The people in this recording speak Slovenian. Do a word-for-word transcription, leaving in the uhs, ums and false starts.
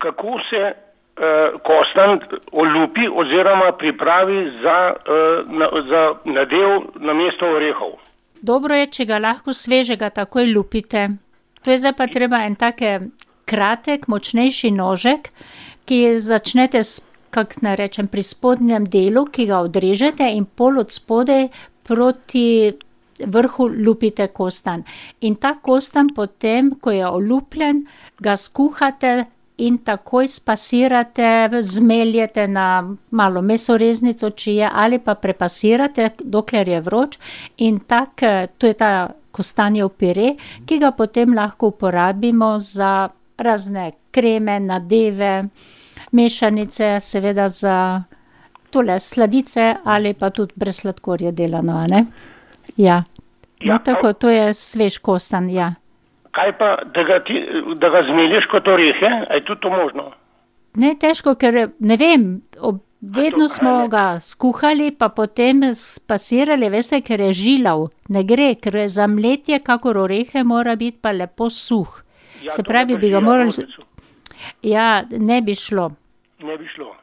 kako se uh, kostanj olupi oziroma pripravi za, uh, na, za nadev namesto orehov? Dobro je, če ga lahko svežega takoj lupite. To je zdaj pa treba en take kratek, močnejši nožek, ki začnete s, kak naj rečem, pri spodnjem delu, ki ga odrežete in pol od spodaj proti vrhu lupite kostanj. In ta kostanj potem, ko je olupljen, ga skuhate in takoj spasirate, zmeljete na malo mesoreznico, če je, ali pa prepasirate, dokler je vroč. In tak, to je ta kostanjev pire, ki ga potem lahko uporabimo za razne kreme, nadeve, mešanice, seveda za tole sladice ali pa tudi brez sladkorja delano, a ne? Ja. No, tako, to je svež kostanj, ja. Kaj pa, da ga, ti, da ga zmeliš kot orehe? A je tudi to možno? Ne, težko, ker ne vem, ob, vedno smo ga skuhali, pa potem spasirali, veste, ker je žilav. Ne gre, ker za mletje, kakor orehe, mora biti pa lepo suh. Ja, Se pravi, bi ga morali... Ja, ne bi šlo. Ne bi šlo.